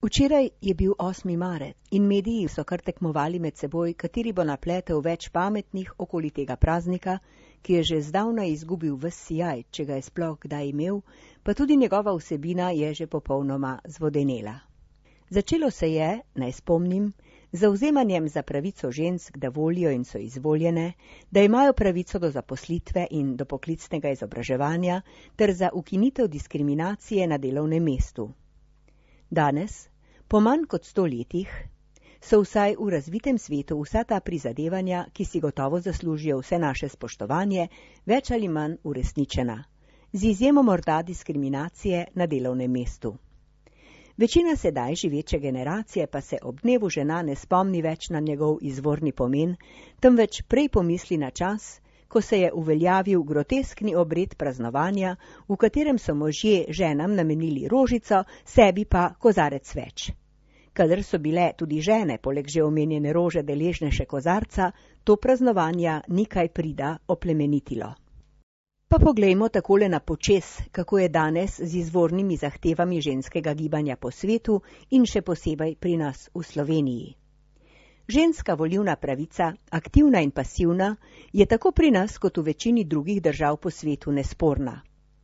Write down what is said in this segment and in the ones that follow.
Včeraj je bil 8. marec in mediji so kar tekmovali med seboj, kateri bo napletel več pametnih okoli tega praznika, ki je že zdavnaj izgubil ves sijaj, če ga je sploh kdaj imel, pa tudi njegova vsebina je že popolnoma zvodenela. Začelo se je, naj spomnim, z zavzemanjem za pravico žensk, da volijo in so izvoljene, da imajo pravico do zaposlitve in do poklicnega izobraževanja ter za ukinitev diskriminacije na delovnem mestu. Danes, po manj kot 100 letih, so vsaj v razvitem svetu vsa ta prizadevanja, ki si gotovo zaslužijo vse naše spoštovanje, več ali manj uresničena, z izjemo morda diskriminacije na delovnem mestu. Večina sedaj živeče generacije pa se ob dnevu žena ne spomni več na njegov izvorni pomen, temveč prej pomisli na čas, ko se je uveljavil groteskni obred praznovanja, v katerem so možje ženam namenili rožico, sebi pa kozarec več. Kadar so bile tudi žene, poleg že omenjene rože deležne še kozarca, to praznovanja ni kaj prida oplemenitilo. Pa poglejmo takole na počez, kako je danes z izvornimi zahtevami ženskega gibanja po svetu in še posebej pri nas v Sloveniji. Ženska volilna pravica, aktivna in pasivna, je tako pri nas kot v večini drugih držav po svetu nesporna.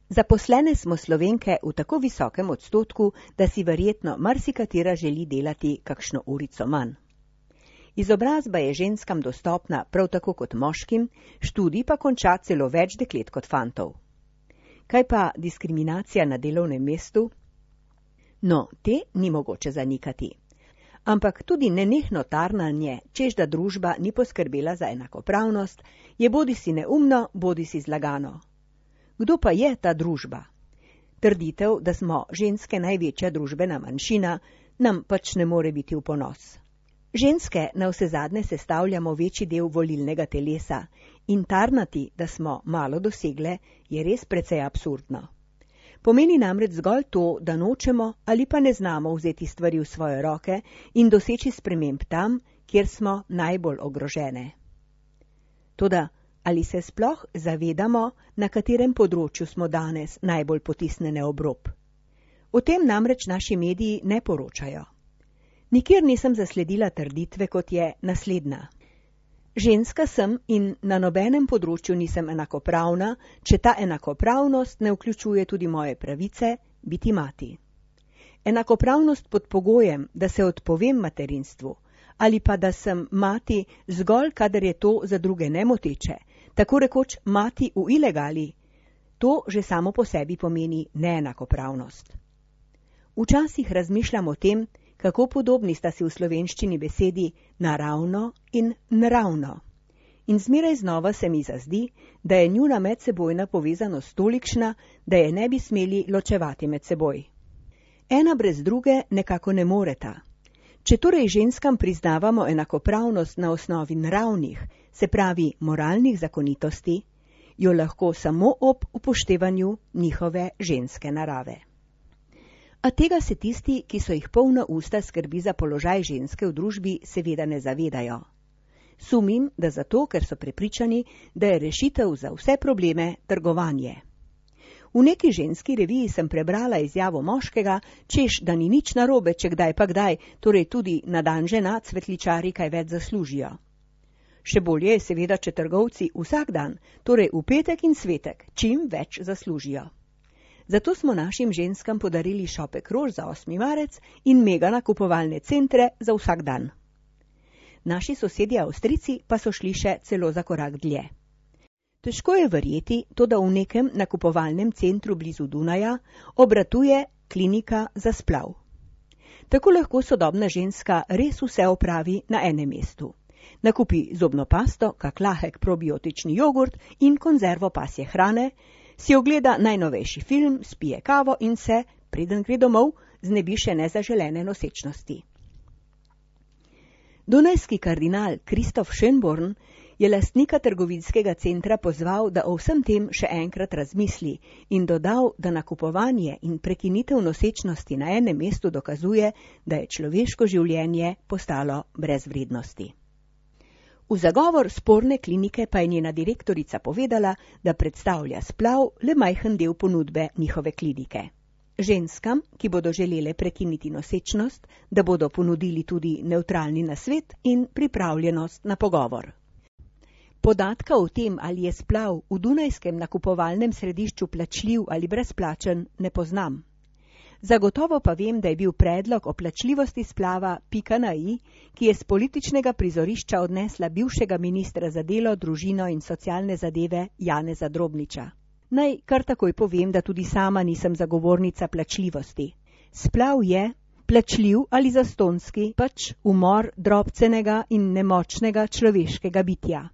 Zaposlene smo Slovenke v tako visokem odstotku, da si verjetno marsikatera želi delati kakšno urico manj. Izobrazba je ženskam dostopna prav tako kot moškim, študij pa konča celo več deklet kot fantov. Kaj pa diskriminacija na delovnem mestu? No, te ni mogoče zanikati. Ampak tudi nenehno tarnanje, čež da družba ni poskrbela za enakopravnost, je bodisi neumno, bodisi zlagano. Kdo pa je ta družba? Trditev, da smo ženske največja družbena manjšina, nam pač ne more biti v ponos. Ženske navsezadnje sestavljamo večji del volilnega telesa in tarnati, da smo malo dosegle, je res precej absurdno. Pomeni namreč zgolj to, da nočemo ali pa ne znamo vzeti stvari v svoje roke in doseči sprememb tam, kjer smo najbolj ogrožene. Toda, ali se sploh zavedamo, na katerem področju smo danes najbolj potisnjene ob rob? O tem namreč naši mediji ne poročajo. Nikjer nisem zasledila trditve, kot je naslednja. Ženska sem in na nobenem področju nisem enakopravna, če ta enakopravnost ne vključuje tudi moje pravice biti mati. Enakopravnost pod pogojem, da se odpovem materinstvu, ali pa da sem mati zgolj, kadar je to za druge nemoteče, tako rekoč mati v ilegali, to že samo po sebi pomeni neenakopravnost. Včasih razmišljam o tem, kako podobni sta si v slovenščini besedi naravno in nravno. In zmeraj znova se mi zazdi, da je njuna medsebojna povezanost tolikšna, da je ne bi smeli ločevati med seboj. Ena brez druge nekako ne moreta. Če torej ženskam priznavamo enakopravnost na osnovi naravnih, se pravi moralnih zakonitosti, jo lahko samo ob upoštevanju njihove ženske narave. A tega se tisti, ki so jih polna usta skrbi za položaj ženske v družbi, seveda ne zavedajo. Sumim, da zato, ker so prepričani, da je rešitev za vse probleme trgovanje. V neki ženski reviji sem prebrala izjavo moškega, češ, da ni nič narobe, če kdaj pa kdaj, torej tudi na dan žena cvetličari kaj več zaslužijo. Še bolje je seveda, če trgovci vsak dan, torej v petek in svetek, čim več zaslužijo. Zato smo našim ženskam podarili šopek rož za 8. marec in mega nakupovalne centre za vsak dan. Naši sosedje Avstrijci pa so šli še celo za korak dlje. Težko je verjeti, to da v nekem nakupovalnem centru blizu Dunaja obratuje klinika za splav. Tako lahko sodobna ženska res vse opravi na enem mestu. Nakupi zobno pasto, kak lahek probiotični jogurt in konzervo pasje hrane, si ogleda najnovejši film, spije kavo in se, preden gre domov, znebi še nezaželene nosečnosti. Dunajski kardinal Kristof Schönborn je lastnika trgovinskega centra pozval, da o vsem tem še enkrat razmisli in dodal, da nakupovanje in prekinitev nosečnosti na enem mestu dokazuje, da je človeško življenje postalo brez vrednosti. V zagovor sporne klinike pa je njena direktorica povedala, da predstavlja splav le majhen del ponudbe njihove klinike. ženskam, ki bodo želele prekiniti nosečnost, da bodo ponudili tudi nevtralni nasvet in pripravljenost na pogovor. Podatka o tem, ali je splav v dunajskem nakupovalnem središču plačljiv ali brezplačen, ne poznam. Zagotovo pa vem, da je bil predlog o plačljivosti splava pika na i, ki je z političnega prizorišča odnesla bivšega ministra za delo, družino in socialne zadeve Janeza Drobniča. Naj kar takoj povem, da tudi sama nisem zagovornica plačljivosti. Splav je, plačljiv ali zastonjski, pač umor drobcenega in nemočnega človeškega bitja.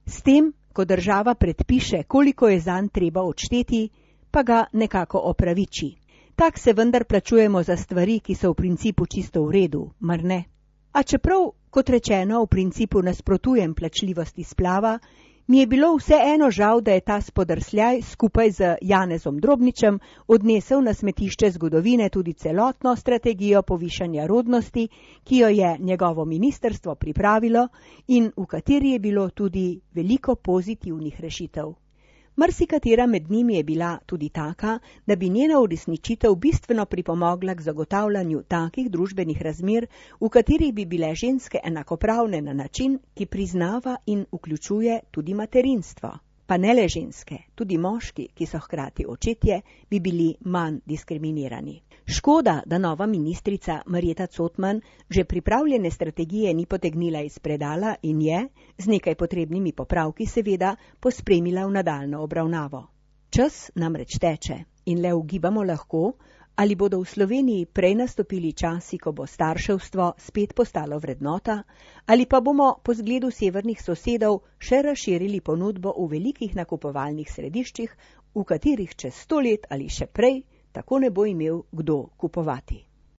S tem, ko država predpiše, koliko je zanj treba odšteti, pa ga nekako opraviči. Tak se vendar plačujemo za stvari, ki so v principu čisto v redu, mar ne? A čeprav, kot rečeno, v principu nasprotujem plačljivosti splava, mi je bilo vseeno žal, da je ta spodrsljaj skupaj z Janezom Drobničem odnesel na smetišče zgodovine tudi celotno strategijo povišanja rodnosti, ki jo je njegovo ministrstvo pripravilo in v kateri je bilo tudi veliko pozitivnih rešitev. Marsikatera med njimi je bila tudi taka, da bi njena uresničitev bistveno pripomogla k zagotavljanju takih družbenih razmer, v katerih bi bile ženske enakopravne na način, ki priznava in vključuje tudi materinstvo. Pa ne le ženske, tudi moški, ki so hkrati očetje, bi bili manj diskriminirani. Škoda, da nova ministrica Marjeta Cotman že pripravljene strategije ni potegnila iz predala in je, z nekaj potrebnimi popravki seveda, pospremila v nadaljnjo obravnavo. Čas namreč teče in le ugibamo lahko, ali bodo v Sloveniji prej nastopili časi, ko bo starševstvo spet postalo vrednota, ali pa bomo po zgledu severnih sosedov še razširili ponudbo v velikih nakupovalnih središčih, v katerih čez 100 let ali še prej tako ne bo imel kdo kupovati.